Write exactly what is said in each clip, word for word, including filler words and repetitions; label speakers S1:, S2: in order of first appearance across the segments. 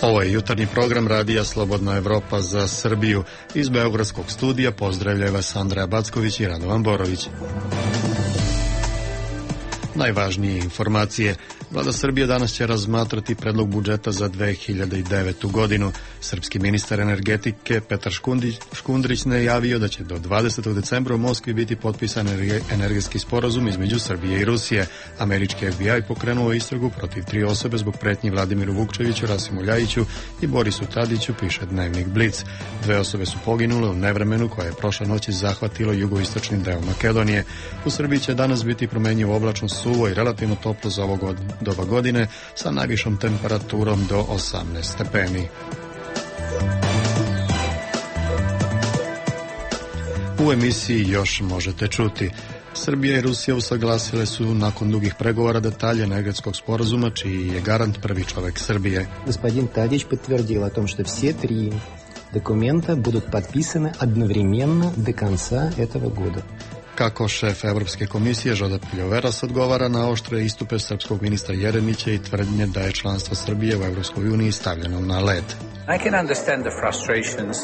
S1: Ovo je jutarnji program Radija Slobodna Evropa za Srbiju. Iz Beogradskog studija pozdravljaju vas Andreja Backović i Radovan Borović. Najvažnije informacije. Vlada Srbije danas će razmatrati predlog budžeta za dve hiljade devetu. godinu. Srpski ministar energetike Petar Škundrić najavio da će do dvadesetog decembra u Moskvi biti potpisan energetski sporazum između Srbije i Rusije. Američki F B I pokrenuo istragu protiv tri osobe zbog pretnji Vladimiru Vukčeviću, Rasimu Ljajiću i Borisu Tadiću, piše dnevnik Blic. Dve osobe su poginule u nevremenu koje je prošle noći zahvatilo jugoistočni deo Makedonije. U Srbiji će danas biti promenjivo oblačno, suvo i relativno toplo za ovog doba godine sa najvišom temperaturom do osamnaest stepeni. U emisiji još možete čuti. Srbija i Rusija usaglasile su nakon dugih pregovora detalje energetskog sporazuma, čiji je garant prvi čovek Srbije.
S2: Господин Tadić подтвердил о том, что все три документа будут подписаны одновременно до конца этого года.
S1: Kako šef Evropske komisije Žoda Piljoveras odgovara na oštre istupe srpskog ministra Jeremića i tvrdnje da je članstvo Srbije u Evropskoj uniji stavljeno na led.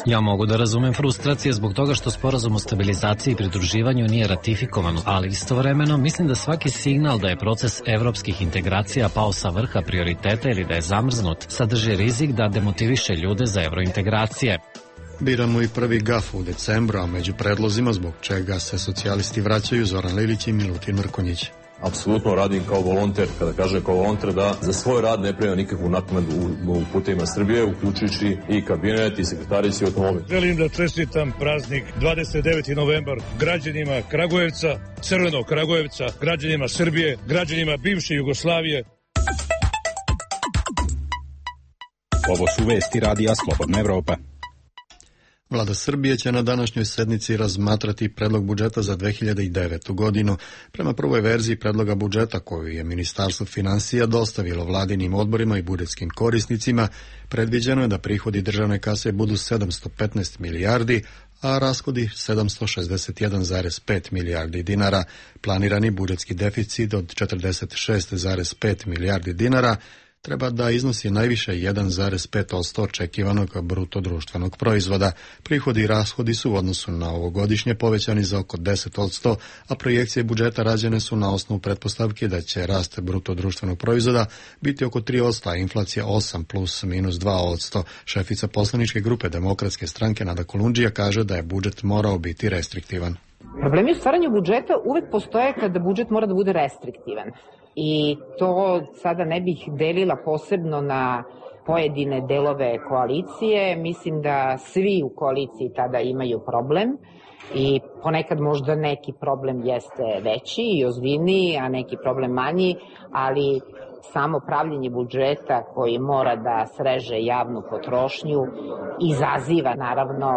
S3: Ja mogu da razumem frustracije zbog toga što sporazum o stabilizaciji i pridruživanju nije ratifikovan, ali istovremeno mislim da svaki signal da je proces evropskih integracija pao sa vrha prioriteta ili da je zamrznut sadrži rizik da demotiviše ljude za evrointegracije.
S1: Biramo i prvi gaf u decembru, a među predlozima zbog čega se socijalisti vraćaju Zoran Lilić i Milutin Mrkonjić.
S4: Apsolutno radim kao volonter, kada kaže kao volonter da za svoj rad ne prima nikakvu naknadu u, u putevima Srbije, uključujući i kabinet i sekretarici i automobil.
S5: Želim da čestitam praznik dvadeset deveti novembar građanima Kragujevca, Crvenog Kragujevca, građanima Srbije, građanima bivše Jugoslavije.
S6: Ovo su vesti Radija Slobodna Evropa.
S1: Vlada Srbije će na današnjoj sednici razmatrati predlog budžeta za dve hiljade devetu. godinu. Prema prvoj verziji predloga budžeta koju je Ministarstvo finansija dostavilo vladinim odborima i budžetskim korisnicima, predviđeno je da prihodi državne kase budu sedamsto petnaest milijardi, a rashodi sedamsto šezdeset jedan zarez pet milijardi dinara. Planirani budžetski deficit od četrdeset šest zarez pet milijardi dinara treba da iznosi najviše jedan zarez pet posto očekivanog bruto društvenog proizvoda. Prihodi i rashodi su u odnosu na ovogodišnje povećani za oko deset posto, a projekcije budžeta rađene su na osnovu pretpostavke da će rast bruto društvenog proizvoda biti oko tri posto, a inflacija osam plus minus dva posto. Šefica poslaničke grupe Demokratske stranke Nada Kolundžija kaže da je budžet morao biti restriktivan.
S7: Problemi u stvaranju budžeta uvek postoje kada budžet mora da bude restriktivan. I to sada ne bih delila posebno na pojedine delove koalicije. Mislim da svi u koaliciji tada imaju problem i ponekad možda neki problem jeste veći i ozbiljniji, a neki problem manji, ali samo pravljenje budžeta koji mora da sreže javnu potrošnju izaziva naravno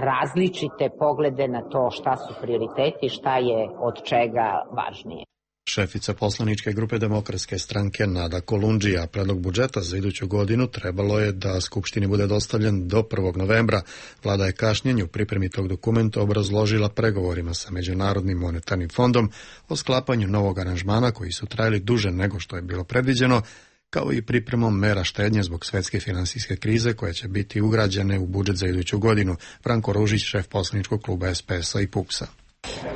S7: različite poglede na to šta su prioriteti, šta je od čega važnije.
S1: Šefica poslaničke grupe Demokratske stranke Nada Kolundžija. Predlog budžeta za iduću godinu trebalo je da Skupštini bude dostavljen do prvog novembra. Vlada je kašnjenju u pripremi tog dokumenta obrazložila pregovorima sa Međunarodnim monetarnim fondom o sklapanju novog aranžmana koji su trajali duže nego što je bilo predviđeno, kao i pripremom mera štednje zbog svetske finansijske krize koje će biti ugrađene u budžet za iduću godinu. Branko Ružić, šef poslaničkog kluba S P S-a i P U P S-a.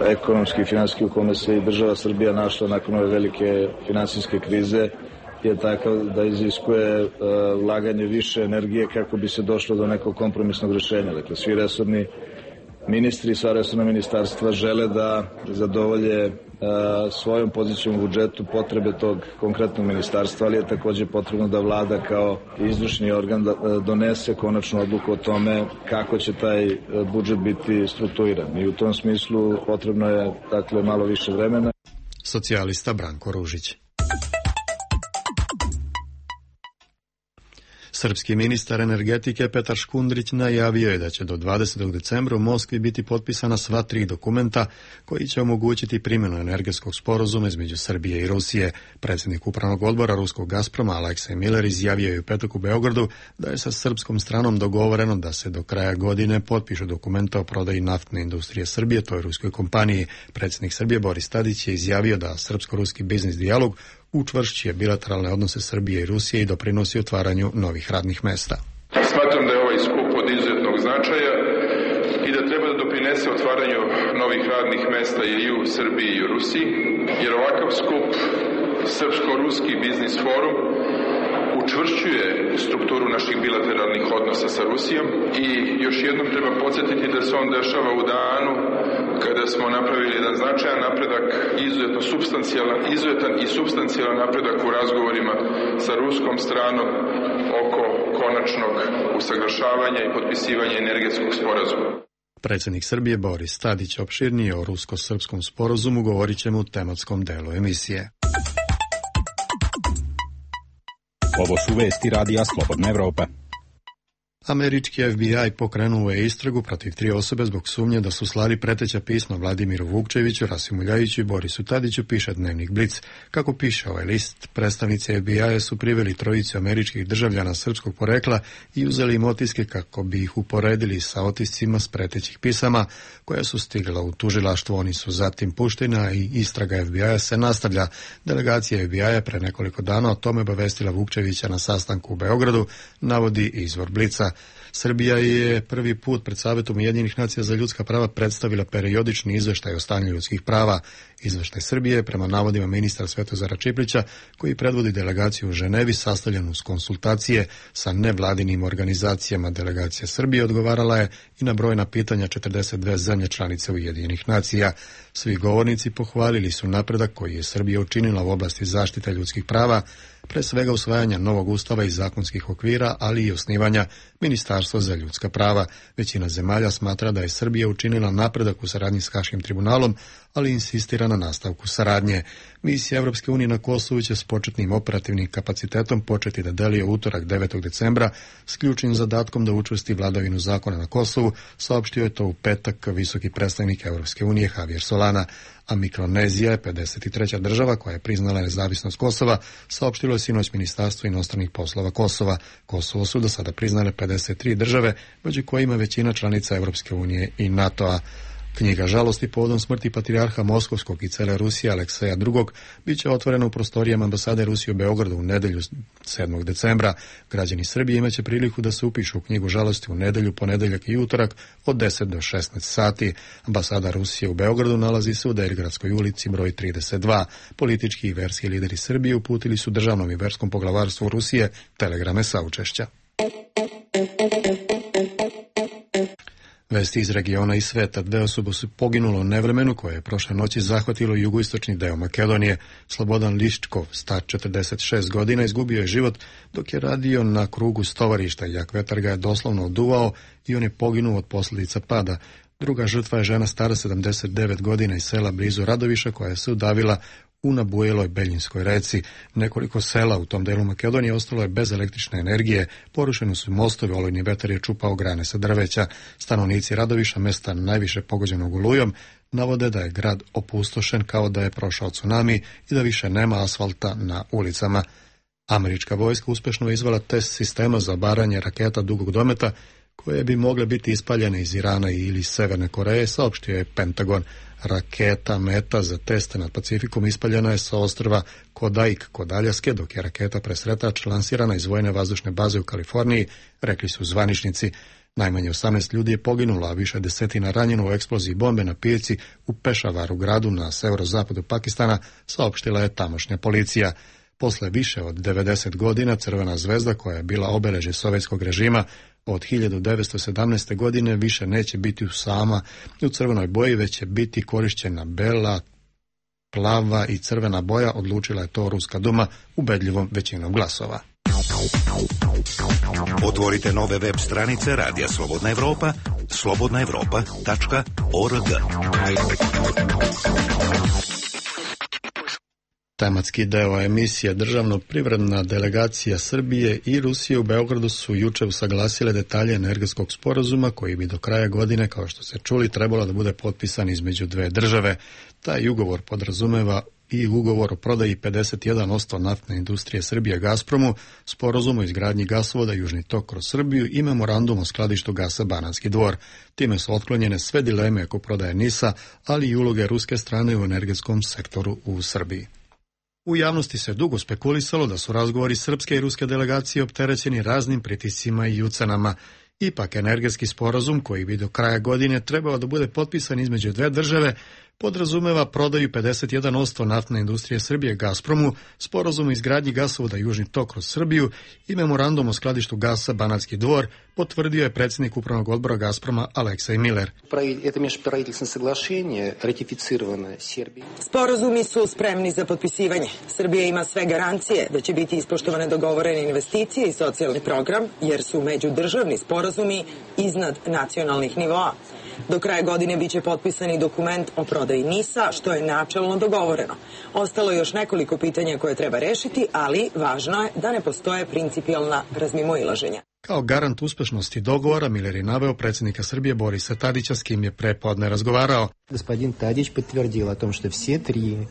S8: Ekonomski i finansijski u kome se i država Srbija našla nakon ove velike finansijske krize je takav da iziskuje uh, ulaganje više energije kako bi se došlo do nekog kompromisnog rješenja. Dakle, svi resorni ministri i sva resorna ministarstva žele da zadovolje uh, svojom pozicijom u budžetu potrebe tog konkretnog ministarstva, ali je također potrebno da vlada kao izvršni organ da, uh, donese konačnu odluku o tome kako će taj uh, budžet biti strukturiran. I u tom smislu potrebno je dakle malo više vremena.
S1: Socijalista Branko Ružić. Srpski ministar energetike Petar Škundrić najavio je da će do dvadesetog decembra u Moskvi biti potpisana sva tri dokumenta koji će omogućiti primjenu energetskog sporazuma između Srbije i Rusije. Predsjednik upravnog odbora ruskog Gazproma Aleksej Miller izjavio je u petak u Beogradu da je sa srpskom stranom dogovoreno da se do kraja godine potpišu dokumenta o prodaji naftne industrije Srbije toj ruskoj kompaniji. Predsjednik Srbije Boris Tadić je izjavio da srpsko-ruski biznis dijalog učvršćuje bilateralne odnose Srbije i Rusije i doprinosi otvaranju novih radnih mesta.
S9: Smatram da je ovaj skup od izuzetnog značaja i da treba da doprinese otvaranju novih radnih mesta i u Srbiji i u Rusiji, jer ovakav skup Srpsko-Ruski biznis forum učvršćuje strukturu naših bilateralnih odnosa sa Rusijom i još jednom treba podsjetiti da se on dešava u danu kada smo napravili jedan značajan napredak, izuzetno substancijalan, izuzetan i substancijalan napredak u razgovorima sa ruskom stranom oko konačnog usaglašavanja i potpisivanja energetskog sporazuma.
S1: Predsjednik Srbije Boris Tadić opširnije o rusko-srpskom sporazumu govorit ćemo u tematskom delu emisije.
S6: Ovo su vesti radija Slobodna Evropa.
S1: Američki F B I pokrenuo je istragu protiv tri osobe zbog sumnje da su slali preteća pisma Vladimiru Vukčeviću, Rasimu Ljajiću i Borisu Tadiću, piše dnevnik Blic. Kako piše ovaj list, predstavnici F B I-a su priveli trojicu američkih državljana srpskog porekla i uzeli im otiske kako bi ih uporedili sa otiscima s pretećih pisama koja su stigla u tužilaštvo. Oni su zatim puštena i istraga F B I-a se nastavlja. Delegacija F B I-a pre nekoliko dana o tome obavestila Vukčevića na sastanku u Beogradu, navodi izvor Blica. Srbija je prvi put pred Savetom Ujedinjenih nacija za ljudska prava predstavila periodični izveštaj o stanju ljudskih prava. Izveštaj Srbije, prema navodima ministra Svetozara Čiplića, koji predvodi delegaciju u Ženevi, sastavljen uz konsultacije sa nevladinim organizacijama. Delegacija Srbije odgovarala je i na brojna pitanja četrdeset dve zemlje članice Ujedinjenih nacija. Svi govornici pohvalili su napredak koji je Srbija učinila u oblasti zaštite ljudskih prava, pre svega usvajanja novog ustava i zakonskih okvira, ali i osnivanja Ministarstva za ljudska prava. Većina zemalja smatra da je Srbija učinila napredak u saradnji s Haškim tribunalom, ali insistira na nastavku saradnje. Misija Evropske unije na Kosovu će s početnim operativnim kapacitetom početi da deluje utorak devetog decembra s ključnim zadatkom da učvrsti vladavinu zakona na Kosovu, saopštio je to u petak visoki predstavnik Evropske unije Javier Solana. A Mikronezija je pedeset treća država koja je priznala nezavisnost Kosova, saopštilo je sinoć Ministarstvo inostranih poslova Kosova. Kosovo su do sada priznale pedeset tri države, među kojima većina članica Evropske unije i NATO-a. Knjiga žalosti povodom smrti patrijarha Moskovskog i cele Rusije Alekseja drugog bit će otvorena u prostorijama ambasade Rusije u Beogradu u nedelju sedmog decembra. Građani Srbije imaće priliku da se upišu u knjigu žalosti u nedelju, ponedeljak i utorak od deset do šesnaest sati. Ambasada Rusije u Beogradu nalazi se u Derigradskoj ulici broj trideset dva. Politički i verski lideri Srbije uputili su državnom i verskom poglavarstvu Rusije telegrame saučešća. Vesti iz regiona i sveta. Dve osobe su poginule u nevremenu koje je prošle noći zahvatilo jugoistočni deo Makedonije. Slobodan Liščkov, star četrdeset šest godina, izgubio je život dok je radio na krugu stovarišta. Jak vetar ga je doslovno oduvao i on je poginuo od posljedica pada. Druga žrtva je žena stara sedamdeset devet godina iz sela blizu Radoviša koja se udavila u nabujeloj Beljinskoj reci. Nekoliko sela u tom delu Makedonije ostalo je bez električne energije, porušeni su mostovi, olujni vetar je čupao grane sa drveća. Stanovnici Radoviša, mesta najviše pogođenog olujom, navode da je grad opustošen kao da je prošao tsunami i da više nema asfalta na ulicama. Američka vojska uspešno je izvela test sistema za obaranje raketa dugog dometa koje bi mogle biti ispaljene iz Irana ili Severne Koreje, saopštio je Pentagon. Raketa Meta za teste nad Pacifikom ispaljena je sa ostrva Kodaik kod Aljaske, dok je raketa Presretač lansirana iz vojne vazdušne baze u Kaliforniji, rekli su zvaničnici. Najmanje osamnaest ljudi je poginulo, a više desetina ranjeno u eksploziji bombe na pijaci u Pešavaru, gradu na severozapadu Pakistana, saopštila je tamošnja policija. Posle više od devedeset godina Crvena zvezda, koja je bila obeležje sovjetskog režima, od hiljadu devetsto sedamnaeste. godine više neće biti sama u crvenoj boji, već će biti korišćena bela, plava i crvena boja, odlučila je to Ruska duma ubedljivom većinom glasova.
S10: Otvorite nove web stranice Radija Slobodna Evropa, slobodna evropa tačka org.
S1: Tematski deo emisije. Državno-privredna delegacija Srbije i Rusije u Beogradu su juče usaglasile detalje energetskog sporazuma koji bi do kraja godine, kao što se čuli, trebalo da bude potpisan između dve države. Taj ugovor podrazumeva i ugovor o prodaji pedeset jedan posto naftne industrije Srbije Gazpromu, sporazum o izgradnji gasovoda Južni tok kroz Srbiju i memorandum o skladištu gasa Banatski Dvor. Time su otklonjene sve dileme oko prodaje NIS-a, ali i uloge ruske strane u energetskom sektoru u Srbiji. U javnosti se dugo spekulisalo da su razgovori srpske i ruske delegacije opterećeni raznim pritiscima i ucenama. Ipak, energetski sporazum koji bi do kraja godine trebao da bude potpisan između dve države podrazumeva prodaju pedeset jedan posto naftne industrije Srbije Gazpromu, sporazum o izgradnji gasovoda Južni tok kroz Srbiju i memorandum o skladištu gasa Banatski Dvor, potvrdio je predsjednik upravnog odbora Gazproma Aleksej Miller.
S11: Sporazumi su spremni za potpisivanje. Srbija ima sve garancije da će biti ispoštovane dogovorene investicije i socijalni program, jer su međudržavni sporazumi iznad nacionalnih nivoa. Do kraja godine biće potpisani dokument o prodaji NIS-a, što je načelno dogovoreno. Ostalo je još nekoliko pitanja koje treba rešiti, ali važno je da ne postoje principijalna razmimoilaženja.
S1: Kao garant uspešnosti dogovora, Miller je naveo predsjednika Srbije Borisa Tadića, s kim je prepodne razgovarao.
S2: Господин Tadić подтвердил о том, что все три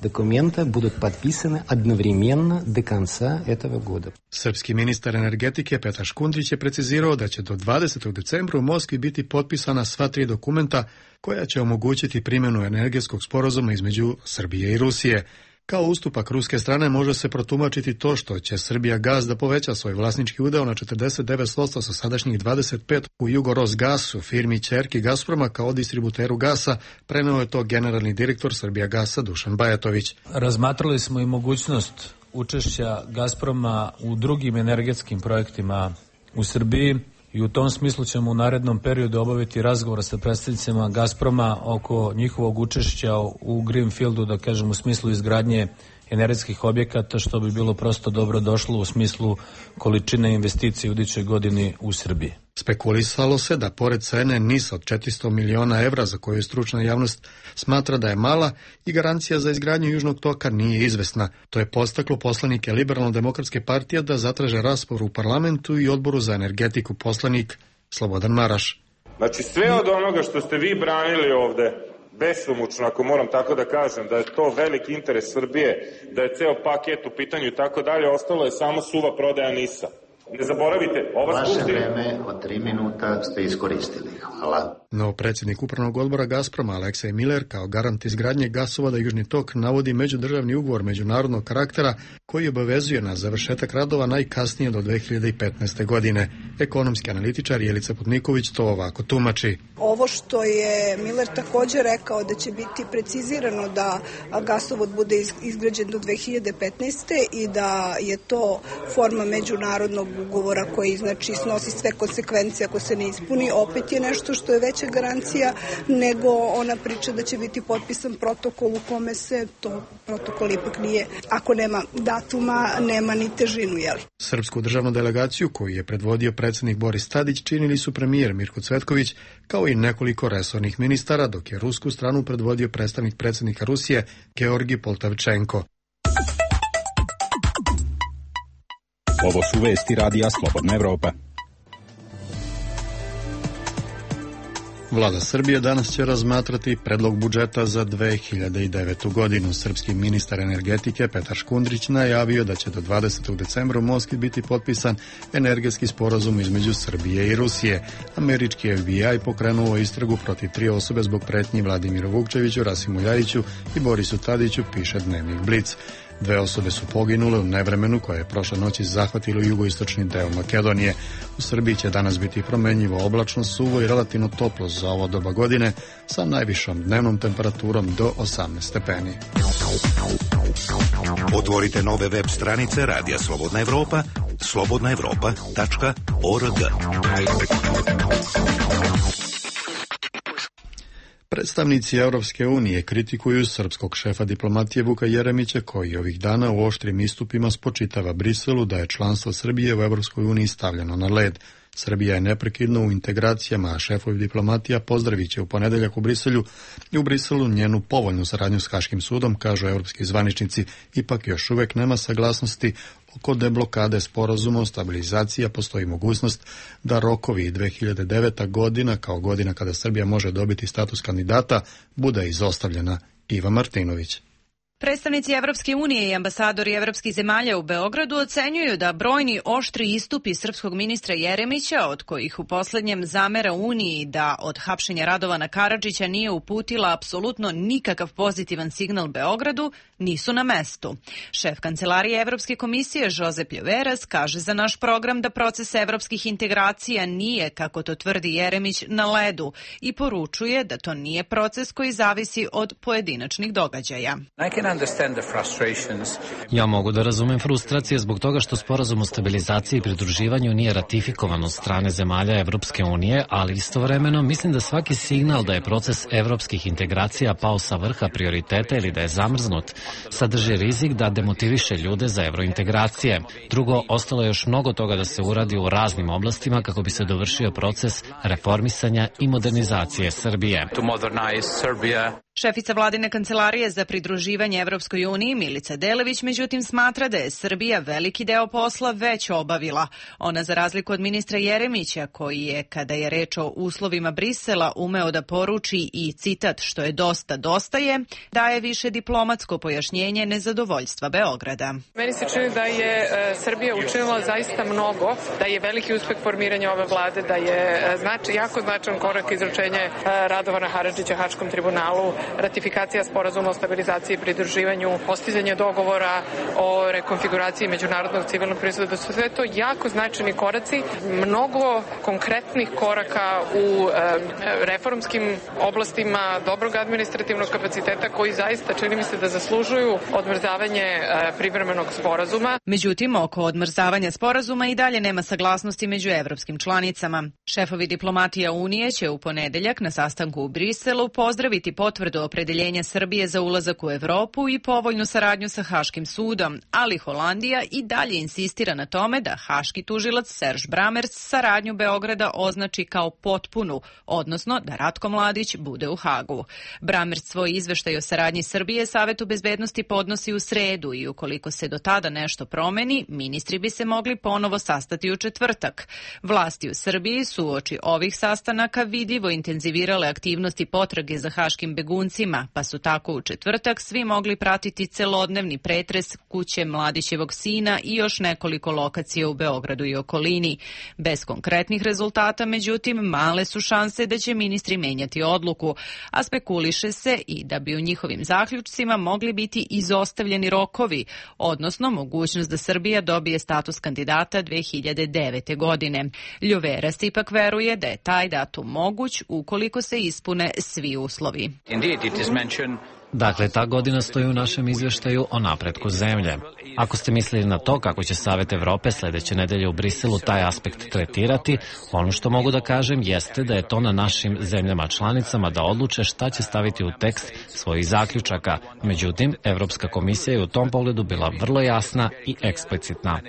S2: документа будут подписаны одновременно до конца этого года.
S1: Srpski ministar energetike Petar Škundrić je precizirao da će do dvadesetog decembra u Moskvi biti potpisana sva tri dokumenta koja će omogućiti primjenu energetskog sporazuma između Srbije i Rusije. Kao ustupak ruske strane može se protumačiti to što će Srbija Gas da poveća svoj vlasnički udeo na četrdeset devet posto sa sadašnjih dvadeset pet posto u Jugorosgasu, firmi ćerki Gazproma kao distributeru gasa, preneo je to generalni direktor Srbija Gasa Dušan Bajatović.
S12: Razmatrali smo i mogućnost učešća Gazproma u drugim energetskim projektima u Srbiji i u tom smislu ćemo u narednom periodu obaviti razgovor sa predstavnicima Gazproma oko njihovog učešća u Greenfieldu, da kažem u smislu izgradnje energetskih objekata, što bi bilo prosto dobro došlo u smislu količine investicije u idućoj godini u Srbiji.
S1: Spekulisalo se da pored cene NIS-a od četiristo miliona evra, za koju stručna javnost smatra da je mala, i garancija za izgradnju Južnog toka nije izvesna. To je podstaklo poslanike Liberalno-demokratske partije da zatraže raspravu u parlamentu i odboru za energetiku, poslanik Slobodan Maraš.
S13: Znači sve od onoga što ste vi branili ovde, besomučno, ako moram tako da kažem, da je to veliki interes Srbije, da je ceo paket u pitanju i tako dalje, ostalo je samo suva prodaja NIS-a. Ne zaboravite, ova skupština...
S14: Vaše vreme od tri minuta ste iskoristili. Hvala.
S1: No, predsjednik upravnog odbora Gazproma Aleksej Miller kao garant izgradnje gasovoda Južni tok navodi međudržavni ugovor međunarodnog karaktera koji obavezuje na završetak radova najkasnije do dve hiljade petnaeste. godine. Ekonomski analitičar Jelica Putniković to ovako tumači.
S15: Ovo što je Miller također rekao da će biti precizirano da gasovod bude izgrađen do dve hiljade petnaeste. i da je to forma međunarodnog ugovora koji znači snosi sve konsekvencije ako se ne ispuni, opet je nešto što je veća garancija nego ona priča da će biti potpisan protokol u kome se to protokol ipak nije. Ako nema datuma, nema ni težinu, jeli?
S1: Srpsku državnu delegaciju koju je predvodio predsjednik Boris Tadić činili su premijer Mirko Cvetković kao i nekoliko resornih ministara, dok je rusku stranu predvodio predstavnik predsjednika Rusije Georgi Poltavčenko.
S6: Ovo su vesti radija Slobodna Evropa.
S1: Vlada Srbije danas će razmatrati predlog budžeta za dve hiljade devetu. godinu. Srpski ministar energetike Petar Škundrić najavio da će do dvadesetog decembra u Moskvi biti potpisan energetski sporazum između Srbije i Rusije. Američki F B I pokrenuo istragu protiv tri osobe zbog pretnji Vladimiru Vukčeviću, Rasimu Ljajiću i Borisu Tadiću, piše Dnevnik Blic. Dve osobe su poginule u nevremenu koje je prošle noći zahvatilo jugoistočni deo Makedonije. U Srbiji će danas biti promenljivo oblačno, suvo i relativno toplo za ovo doba godine sa najvišom dnevnom temperaturom do osamnaest stepeni.
S10: Otvorite nove web stranice Radija Slobodna Evropa, slobodna evropa tačka org.
S1: Predstavnici Europske unije kritikuju srpskog šefa diplomatije Vuka Jeremića koji ovih dana u oštrim istupima spočitava Briselu da je članstvo Srbije u Europskoj uniji stavljeno na led. Srbija je neprekidno u integracijama, a šefovi diplomatija pozdravit će u ponedeljak u Briselju i u Briselu njenu povoljnu saradnju s Haškim sudom, kažu europski zvaničnici. Ipak još uvek nema saglasnosti oko deblokade sporazuma o stabilizaciji, a postoji mogućnost da rokovi dve hiljade deveta. godina, kao godina kada Srbija može dobiti status kandidata, bude izostavljena. Iva Martinović.
S16: Predstavnici Evropske unije i ambasadori evropskih zemalja u Beogradu ocenjuju da brojni oštri istupi srpskog ministra Jeremića, od kojih u poslednjem zamera Uniji da od hapšenja Radovana Karadžića nije uputila apsolutno nikakav pozitivan signal Beogradu, nisu na mestu. Šef Kancelarije Evropske komisije Josep Ljoveras kaže za naš program da proces evropskih integracija nije, kako to tvrdi Jeremić, na ledu i poručuje da to nije proces koji zavisi od pojedinačnih događaja.
S3: Ja mogu da razumem frustracije zbog toga što sporazum o stabilizaciji i pridruživanju nije ratifikovan od strane zemalja Evropske unije, ali istovremeno mislim da svaki signal da je proces evropskih integracija pao sa vrha prioriteta ili da je zamrznut, sadrži rizik da demotiviše ljude za evrointegracije. Drugo, ostalo je još mnogo toga da se uradi u raznim oblastima kako bi se dovršio proces reformisanja i modernizacije Srbije.
S16: Šefica vladine kancelarije za pridruživanje Evropskoj uniji Milica Delević međutim smatra da je Srbija veliki deo posla već obavila. Ona za razliku od ministra Jeremića koji je, kada je reč o uslovima Brisela, umeo da poruči i citat što je dosta dosta je, daje više diplomatsko pojašnjenje nezadovoljstva Beograda.
S17: Meni se čini da je Srbija učinila zaista mnogo, da je veliki uspeh formiranja ove vlade, da je znači, jako značajan korak izručenje Radovana Haradžića Haškom tribunalu, ratifikacija sporazuma o stabilizaciji i pridruživanju, postizanje dogovora o rekonfiguraciji međunarodnog civilnog pristupa, da su sve to jako značajni koraci, mnogo konkretnih koraka u reformskim oblastima dobrog administrativnog kapaciteta koji zaista čini mi se da zaslužuju odmrzavanje privremenog sporazuma.
S16: Međutim, oko odmrzavanja sporazuma i dalje nema saglasnosti među evropskim članicama. Šefovi diplomatija Unije će u ponedeljak na sastanku u Briselu pozdraviti potvrdu opredeljenja Srbije za ulazak u Evropu i povoljnu saradnju sa Haškim sudom, ali Holandija i dalje insistira na tome da haški tužilac Serge Brammertz saradnju Beograda označi kao potpunu, odnosno da Ratko Mladić bude u Hagu. Brammertz svoj izveštaj o saradnji Srbije Savetu bezbednosti podnosi u sredu i ukoliko se do tada nešto promeni, ministri bi se mogli ponovo sastati u četvrtak. Vlasti u Srbiji su uoči ovih sastanaka vidljivo intenzivirale aktivnosti potrage za haškim beguncima, pa su tako u četvrtak svi mogli pratiti celodnevni pretres kuće Mladićevog sina i još nekoliko lokacija u Beogradu i okolini. Bez konkretnih rezultata, međutim, male su šanse da će ministri menjati odluku, a spekuliše se i da bi u njihovim zaključcima mogli biti izostavljeni rokovi, odnosno mogućnost da Srbija dobije status kandidata dve hiljade devete. godine. Ljoveras ipak veruje da je taj datum moguć ukoliko se ispune svi uslovi.
S3: Dakle, ta godina stoji u našem izvještaju o napretku zemlje. Ako ste mislili na to kako će Savet Evrope sledeće nedelje u Briselu taj aspekt tretirati, ono što mogu da kažem jeste da je to na našim zemljama članicama da odluče šta će staviti u tekst svojih zaključaka. Međutim, Evropska komisija je u tom pogledu bila vrlo jasna i eksplicitna.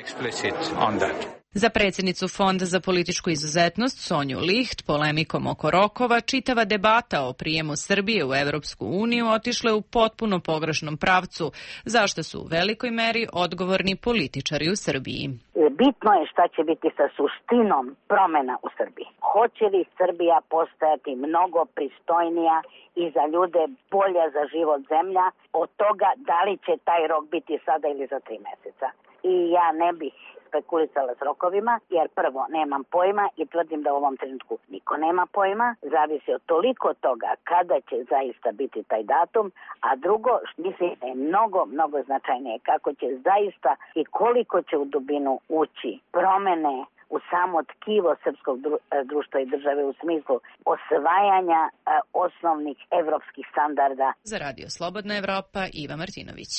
S16: Za predsjednicu Fonda za političku izuzetnost Sonju Licht polemikom oko rokova čitava debata o prijemu Srbije u Evropsku uniju otišle u potpuno pogrešnom pravcu, zašto su u velikoj meri odgovorni političari u Srbiji.
S18: Bitno je šta će biti sa suštinom promena u Srbiji. Hoće li Srbija postajati mnogo pristojnija i za ljude bolja za život zemlja od toga da li će taj rok biti sada ili za tri meseca. I ja ne bih spekulisala s rokovima, jer prvo nemam pojma i tvrdim da u ovom trenutku niko nema pojma, zavisi od toliko toga kada će zaista biti taj datum, a drugo, mislim da je mnogo, mnogo značajnije kako će zaista i koliko će u dubinu ući promene u samo tkivo srpskog društva i države u smislu osvajanja a, osnovnih evropskih standarda.
S16: Za Radio Slobodna Evropa, Iva Martinović.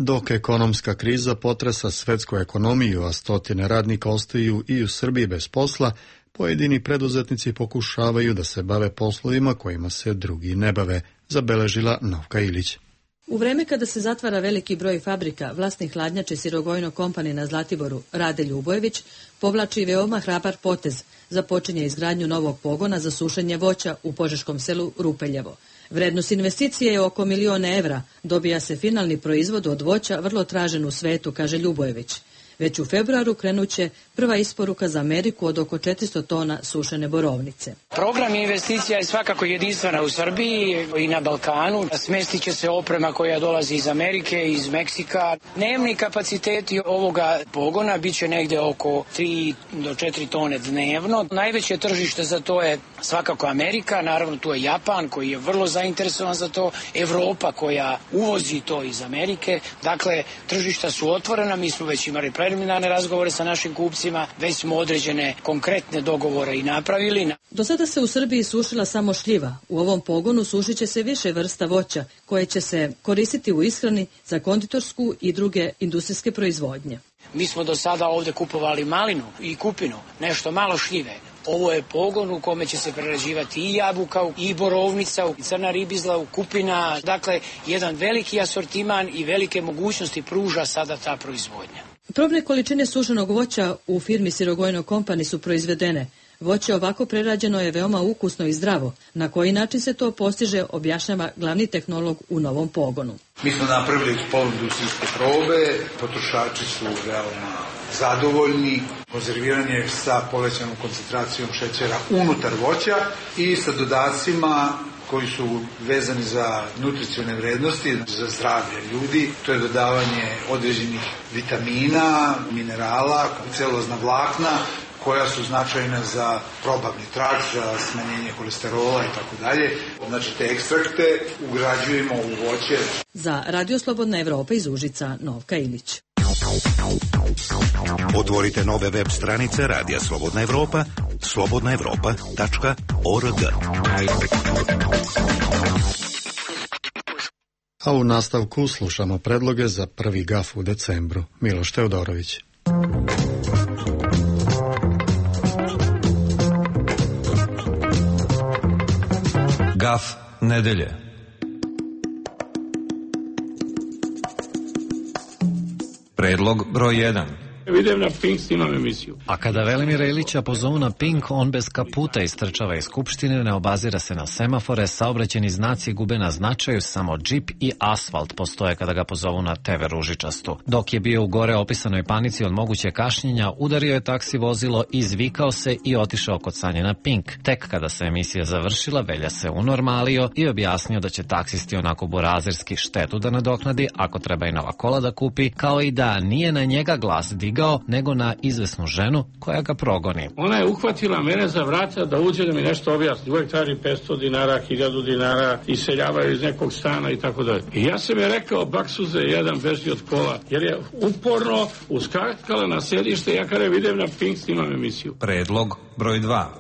S1: Dok ekonomska kriza potresa svetsku ekonomiju, a stotine radnika ostaju i u Srbiji bez posla, pojedini preduzetnici pokušavaju da se bave poslovima kojima se drugi ne bave, zabeležila Novka Ilić.
S19: U vreme kada se zatvara veliki broj fabrika, vlasnik hladnjače Sirogojno kompanije na Zlatiboru, Rade Ljubojević, povlači veoma hrabar potez, započinje izgradnju novog pogona za sušenje voća u požeškom selu Rupeljevo. Vrednost investicije je oko miliona evra, dobija se finalni proizvod od voća vrlo tražen u svetu, kaže Ljubojević. Već u februaru krenuće prva isporuka za Ameriku od oko četiristo tona sušene borovnice.
S20: Program investicija je svakako jedinstvena u Srbiji i na Balkanu. Smestit će se oprema koja dolazi iz Amerike, iz Meksika. Dnevni kapaciteti ovoga pogona bit će negde oko tri do četiri tone dnevno. Najveće tržište za to je svakako Amerika, naravno tu je Japan koji je vrlo zainteresovan za to, Evropa koja uvozi to iz Amerike. Dakle, tržišta su otvorena, mi smo već imali preliminarne razgovore sa našim kupcima, već smo određene konkretne dogovore i napravili.
S19: Do sada se u Srbiji sušila samo šljiva. U ovom pogonu sušit će se više vrsta voća koje će se koristiti u ishrani za konditorsku i druge industrijske proizvodnje.
S20: Mi smo do sada ovde kupovali malinu i kupinu, nešto malo šljive. Ovo je pogon u kome će se prerađivati i jabuka, i borovnica, i crna ribizla, kupina. Dakle, jedan veliki asortiman i velike mogućnosti pruža sada ta proizvodnja.
S19: Probne količine sušenog voća u firmi Sirogojno Company su proizvedene. Voće ovako prerađeno je veoma ukusno i zdravo. Na koji način se to postiže, objašnjava glavni tehnolog u novom pogonu.
S21: Mi smo napravili poluindustrijske probe, potrošači su veoma zadovoljni, konzerviran je sa povećanom koncentracijom šećera unutar voća i sa dodacima koji su vezani za nutricione vrednosti, za zdravlje ljudi. To je dodavanje određenih vitamina, minerala, celulozna vlakna, koja su značajna za probavni trakt, za smanjenje kolesterola i tako dalje. Znači, te ekstrakte ugrađujemo u voće.
S19: Za Radio Slobodna Evropa iz Užica, Novka Ilić.
S10: Otvorite nove web stranice Radija Slobodna Evropa, slobodna evropa tačka org.
S1: A u nastavku slušamo predloge za prvi gaf u decembru. Miloš Teodorović.
S22: Gaf nedelje. Predlog broj jedan.
S23: Idem na Pink, snimam emisiju.
S3: A kada Velimira Ilića pozovu na Pink, on bez kaputa istrčava iz Skupštine, ne obazira se na semafore, saobraćeni znaci gube na značaju, samo džip i asfalt postoje kada ga pozovu na te ve ružičastu. Dok je bio u gore opisanoj panici od moguće kašnjenja, udario je taksi vozilo, izvikao se i otišao kod sanje na Pink. Tek kada se emisija završila, Velja se unormalio i objasnio da će taksisti onako burazerski štetu da nadoknadi, ako treba i nova kola da kupi, kao i da nije na njega glas digao, nego na izvesnu ženu koja ga progoni.
S23: Ona je uhvatila mene za vrata da uđe da mi nešto objasni. Uvijek traži petsto dinara, hiljadu dinara, iseljavaju iz nekog stana i tako dalje. I ja sam je rekao, baksuze, jedan beži od kola, jer je uporno uskakala na sjedište. Ja kada vidim na Pink, snimam emisiju.
S22: Predlog broj dva.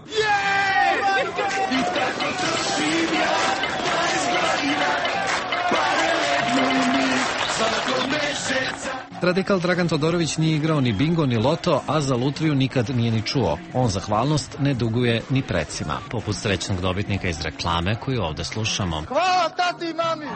S3: Radikal Dragan Todorović nije igrao ni bingo ni loto, a za lutriju nikad nije ni čuo. On zahvalnost ne duguje ni precima, poput srećnog dobitnika iz reklame koju ovde slušamo.
S24: Hvala tati i mami!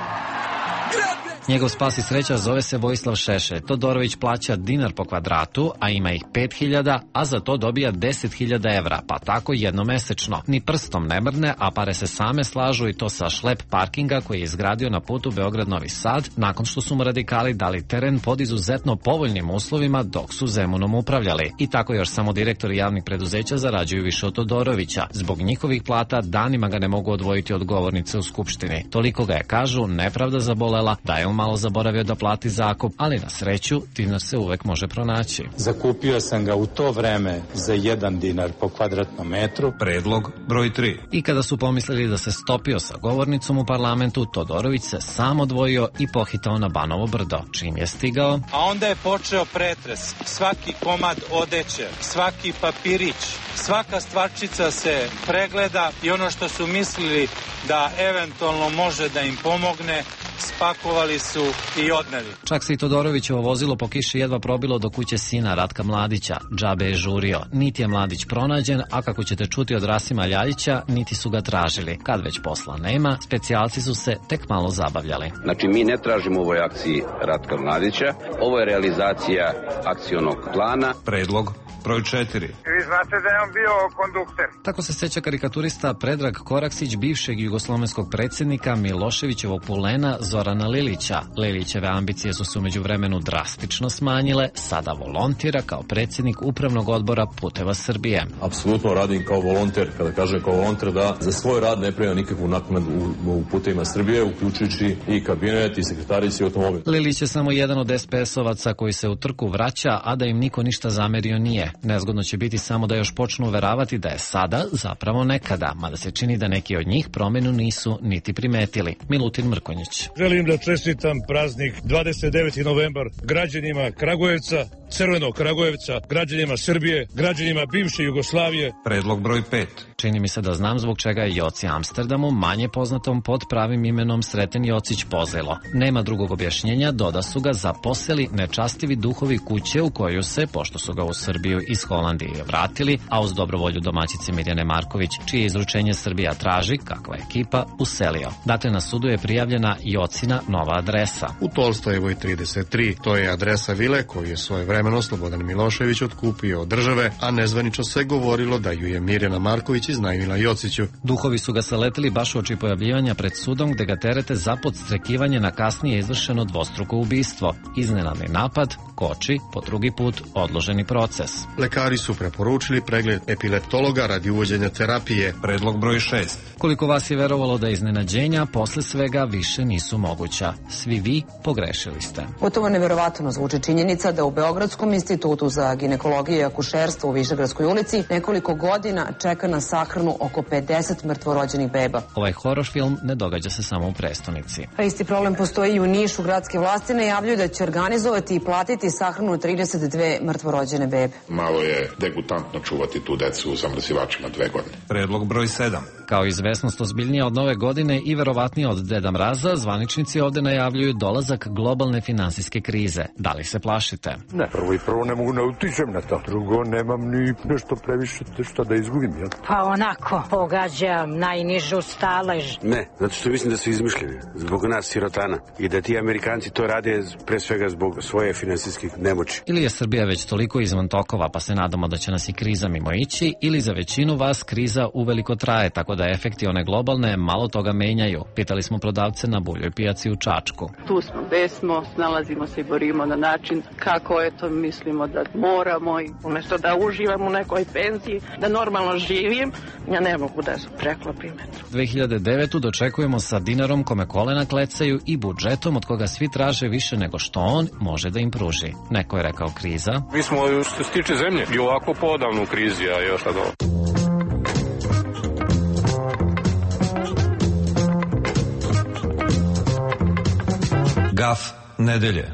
S3: Njegov spas i sreća zove se Vojislav Šešelj. Todorović plaća dinar po kvadratu, a ima ih pet hiljada, a za to dobija deset hiljada evra, pa tako jednomesečno. Ni prstom ne mrne, a pare se same slažu i to sa šlep parkinga koji je izgradio na putu Beograd-Novi Sad, nakon što su mu radikali dali teren pod izuzetno povoljnim uslovima dok su Zemunom upravljali. I tako još samo direktori javnih preduzeća zarađuju više od Todorovića. Zbog njihovih plata danima ga ne mogu odvojiti od govornice u Skupštini. Toliko ga je, kažu, nepravda zabolela da je on malo zaboravio da plati zakup, ali na sreću dinar se uvek može pronaći.
S22: Zakupio sam ga u to vreme za jedan dinar po kvadratnom metru. Predlog broj tri.
S3: I kada su pomislili da se stopio sa govornicom u parlamentu, Todorović se sam odvojio i pohitao na Banovo brdo. Čim je stigao,
S25: a onda je počeo pretres. Svaki komad odeće, svaki papirić, svaka stvarčica se pregleda i ono što su mislili da eventualno može da im pomogne, spakovali su i odneli.
S3: Čak se i Todorovićevo vozilo po kiši jedva probilo do kuće sina Ratka Mladića. Džabe je žurio. Niti je Mladić pronađen, a kako ćete čuti od Rasima Ljaljića, niti su ga tražili. Kad već posla nema, specijalci su se tek malo zabavljali.
S26: Znači, mi ne tražimo u ovoj akciji Ratka Mladića. Ovo je realizacija akcionog plana.
S22: Predlog broj četiri.
S4: vi znate da je on bio kondukter.
S3: Tako se seća karikaturista Predrag Koraksić, bivšeg jugoslovenskog predsjednika Miloševićevog pulena Zorana Lilića. Lilićeve ambicije su se umeđu vremenu drastično smanjile, sada volontira kao predsjednik upravnog odbora Puteva Srbije.
S5: Apsolutno radim kao volonter, kada kažem kao volonter da za svoj rad ne prima nikakvu naknadu u, u Putevima Srbije, uključujući i kabinet i sekretarici i automobil.
S3: Lilić je samo jedan od es pe es-ovaca koji se u trku vraća, a da im niko ništa zamerio nije. Nezgodno će biti samo da još počnu uveravati da je sada zapravo nekada, mada se čini da neki od njih promenu nisu niti primetili. Milutin Mrkonjić.
S7: Želim da čestitam praznik dvadeset deveti novembar građanima Kragujevca, Crvenog Kragujevca, građanima Srbije, građanima bivše Jugoslavije.
S8: Predlog broj pet.
S3: Čini mi se da znam zbog čega je Joci Amsterdamu, manje poznatom pod pravim imenom Sreten Jocić, pozlilo. Nema drugog objašnjenja, doda su ga zaposeli nečastivi duhovi kuće u koju se, pošto su ga u Srbiju iz Holandije vratili, a uz dobrovolju domaćice Mirjane Marković, čije izručenje Srbija traži, kakva ekipa, uselio. Dakle, na sudu je prijavljena Jocina nova adresa.
S1: U Tolstojevoj trideset tri. To je adresa vile koju je svojevremeno Slobodan Milošević otkupio od države, a nezvanično se govorilo da ju je Mirjana Marković iznajmila Jociću.
S3: Duhovi su ga saletili baš uoči pojavljivanja pred sudom, gde ga terete za podstrekivanje na kasnije izvršeno dvostruko ubistvo. Iznenadni napad, koči, po drugi put odloženi proces.
S1: Lekari su preporučili pregled epileptologa radi uvođenja terapije.
S8: Predlog broj šest.
S3: Koliko vas je verovalo da iznenađenja posle svega više nisu moguća. Svi vi pogrešili ste.
S9: Gotovo neverovatno zvuči činjenica da u Beogradskom institutu za ginekologiju i akušerstvo u Višegradskoj ulici nekoliko godina čeka na sahranu oko pedeset mrtvorođenih beba.
S3: Ovaj horor film ne događa se samo u prestonici.
S9: A isti problem postoji i u Nišu. Gradske vlasti najavljuju da će organizovati i platiti sahranu trideset dve mrtvorođene bebe.
S24: Malo je degutantno čuvati tu decu u zamrzivačima dve godine.
S8: Predlog broj sedam.
S3: Kao izvesnost ozbiljnija od nove godine i verovatnije od Deda Mraza, zvaničnici ovde najavljuju dolazak globalne finansijske krize. Da li se plašite?
S27: Ne, prvo i prvo ne mogu ne utičem na to. Drugo, nemam ni nešto previše što da izgubim, jel?
S28: Pa onako, pogađam najnižu stalež.
S29: Ne, zato što mislim da su izmišljeni zbog nas sirotana i da ti Amerikanci to rade pre svega zbog svoje finansijskih nemoći.
S3: Ili je Srbija već toliko izvan tokova pa se nadamo da će nas i kriza mimo ići, ili za većinu vas kriza uveliko traje, tako da efekti one globalne malo toga menjaju. Pitali smo prodavce na Buljoj pijaci u Čačku.
S30: Tu smo, gde smo, snalazimo se i borimo na način kako eto mislimo da moramo i umjesto da uživam u nekoj penziji, da normalno živim, ja ne mogu da preklopim.
S3: dve hiljade devetu dočekujemo sa dinarom kome kolena klecaju i budžetom od koga svi traže više nego što on može da im pruži. Neko je rekao kriza.
S31: Mi smo, što se tiče zemlje, i ovako podavno u krizi, a još sad ovo.
S8: Gaf nedelje.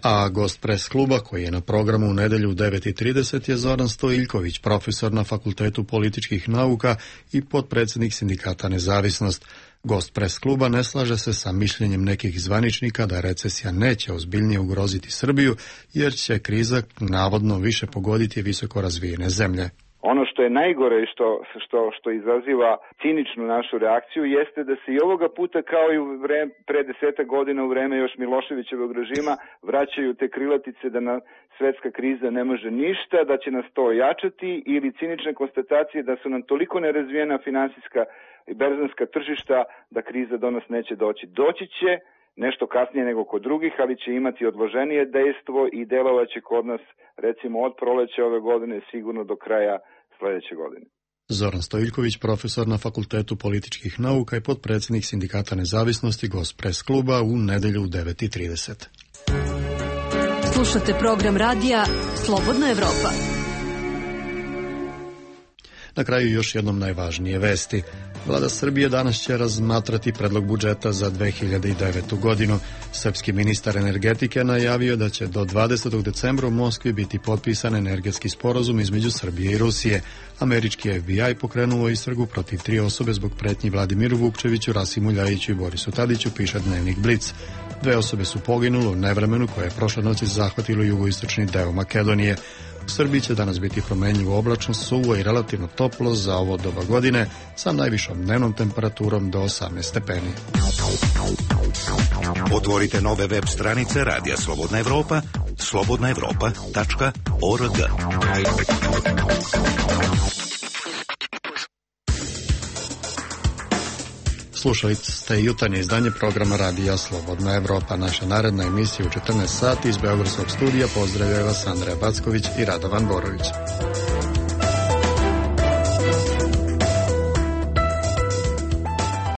S1: A gost pres kluba koji je na programu u nedelju u devet i trideset je Zoran Stojiljković, profesor na Fakultetu političkih nauka i potpredsjednik sindikata Nezavisnost. Gost pres kluba ne slaže se sa mišljenjem nekih zvaničnika da recesija neće ozbiljnije ugroziti Srbiju, jer će kriza navodno više pogoditi visoko razvijene zemlje.
S32: Ono što je najgore i što, što, što izaziva ciničnu našu reakciju jeste da se i ovoga puta kao i u vreme, pre desetak godina u vreme još Miloševićevog režima vraćaju te krilatice da na svetska kriza ne može ništa, da će nas to ojačati ili cinične konstatacije da su nam toliko nerazvijena finansijska i berzanska tržišta da kriza do nas neće doći. Doći će nešto kasnije nego kod drugih, ali će imati odloženije dejstvo i delovaće kod nas recimo od proleća ove godine sigurno do kraja sljedeće godine.
S1: Zoran Stojiljković, profesor na Fakultetu političkih nauka i potpredsjednik sindikata Nezavisnosti, gost pres kluba u nedelju u devet i trideset.
S33: Slušate program radija Slobodna Evropa.
S1: Na kraju još jednom najvažnije vesti. Vlada Srbije danas će razmatrati predlog budžeta za dve hiljade devetu godinu. Srpski ministar energetike najavio da će do dvadesetog decembra u Moskvi biti potpisan energetski sporazum između Srbije i Rusije. Američki F B I pokrenuo istragu protiv tri osobe zbog pretnji Vladimiru Vukčeviću, Rasimu Ljajiću i Borisu Tadiću, piše dnevnik Blic. Dve osobe su poginule u nevremenu koje je prošle noći zahvatilo jugoistočni deo Makedonije. U Srbiji će danas biti promenljivo oblačno, suvo i relativno toplo za ovo doba godine sa najvišom dnevnom temperaturom do osamnaest stepeni.
S10: Otvorite nove web stranice Radija Slobodna Evropa slobodna evropa tačka org.
S1: Slušali ste jutarnje izdanje programa Radija Slobodna Evropa. Naša naredna emisija u četrnaest sati iz Beogradskog studija. Pozdravljaju vas Andreja Backović i Radovan Borović.